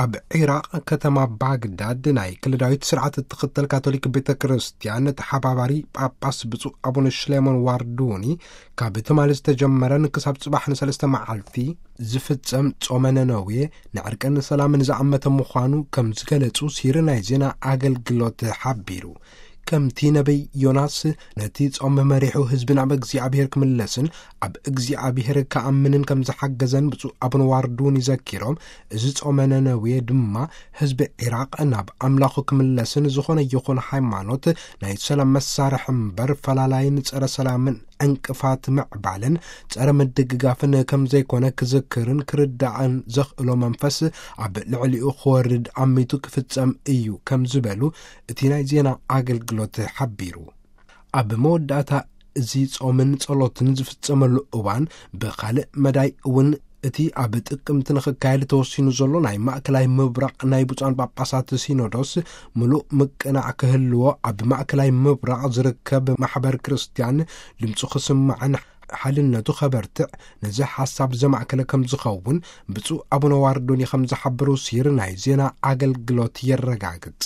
ኣብ ዒራቕ ከተማ ባግዳድ ናይ ክልዳዊት ስርዓት እትኽተል ካቶሊክ ቤተ ክርስቲያን ተሓባባሪ ጳጳስ ብፁዕ ኣቡነ ሽሌሞን ዋርዱኒ፣ ካብ ትማሊ ዝተጀመረን ክሳብ ጽባሕ ንሰለስተ መዓልቲ ዝፍጸም ጾመ ነነዌ ንዕርቅን ሰላምን ዝኣመተ ምዃኑ ከም ዝገለጹ ሲሪ ናይ ዜና ኣገልግሎት ሓቢሩ። ከምቲ ነቢይ ዮናስ ነቲ ጾም መሪሑ ህዝቢ ናብ እግዚኣብሔር ክምለስን ኣብ እግዚኣብሔር ክኣምንን ከም ዝሓገዘን ብፁዕ ኣቡነ ዋርዱኒ ዘኪሮም፣ እዚ ጾመ ነነዌ ድማ ህዝቢ ዒራቕ ናብ ኣምላኹ ክምለስን ዝኾነ ይኹን ሃይማኖት ናይ ሰላም መሳርሒ እምበር ፈላላይን ጸረ ሰላምን ዕንቅፋት ምዕባልን ጸረ ምድግጋፍን ከም ዘይኮነ ክዝክርን ክርዳእን ዘኽእሎ መንፈስ ኣብ ልዕሊኡ ክወርድ ኣሚቱ ክፍጸም እዩ ከም ዝበሉ እቲ ናይ ዜና ኣገልግሎት ሓቢሩ። ኣብ መወዳእታ እዚ ጾምን ጸሎትን ዝፍጸመሉ እዋን ብኻልእ መዳይ እውን እቲ ኣብ ጥቅምቲ ንኽካየድ ተወሲኑ ዘሎ ናይ ማእከላይ ምብራቕ ናይ ብፁዓን ጳጳሳት ሲኖዶስ ምሉእ ምቅናዕ ክህልዎ፣ ኣብ ማእከላይ ምብራቕ ዝርከብ ማሕበር ክርስቲያን ድምፁ ክስማዕን ሓድነቱ ከበርትዕ ነዚ ሓሳብ ዘማእከለ ከም ዝኸውን ብፁዕ ኣቡነ ዋርዶኒ ከም ዝሓበሩ ሲር ናይ ዜና ኣገልግሎት የረጋግጽ።